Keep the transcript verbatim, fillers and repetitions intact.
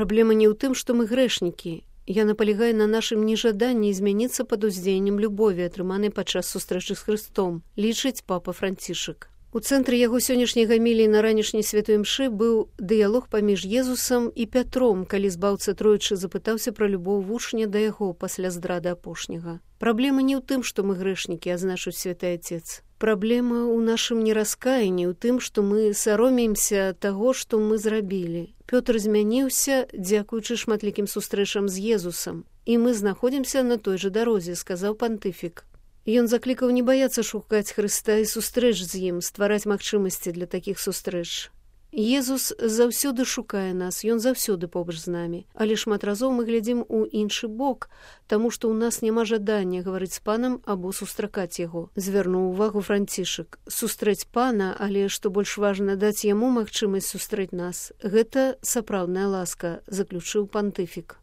Праблема не ў тым, што мы грэшнікі. Яна палягае на нашым нежаданні змяніцца пад уздзеяннем любові, атрыманай падчас сустрэчы з Хрыстом, лічыць папа Францішак. У цэнтры яго сённяшняй гаміліі на ранішняй святой імшы быў дыялог паміж Езусам і Пятром, калі збаўца тройчы запытаўся пра любоў вучня да яго пасля здрады апошняга. Праблема не ў тым, што мы грэшнікі, азначыць святы Отец. Праблема ў нашым нераскаянні, ў тым, што мы саромеемся таго, што мы зрабілі. Пётр змяніўся, дзякуючы шматлікім сустрэчам з Езусам, і мы знаходзімся на той жа дарозе, сказаў пантыфік. Ён заклікаў не баяцца шукаць Хрыста і сустрэч з ім, ствараць магчымасці для такіх сустрэч. Езус заўсёды шукае нас, ён заўсёды побач з намі, але шмат разоў мы глядзім у іншы бок, таму што ў нас няма жадання гаварыць з панам або сустракаць яго. Звярнуў увагу Францішак. Сустрэць пана, але што больш важна, даць яму магчымасць сустрэць нас. Гэта сапраўдная ласка, заключыў пантыфік.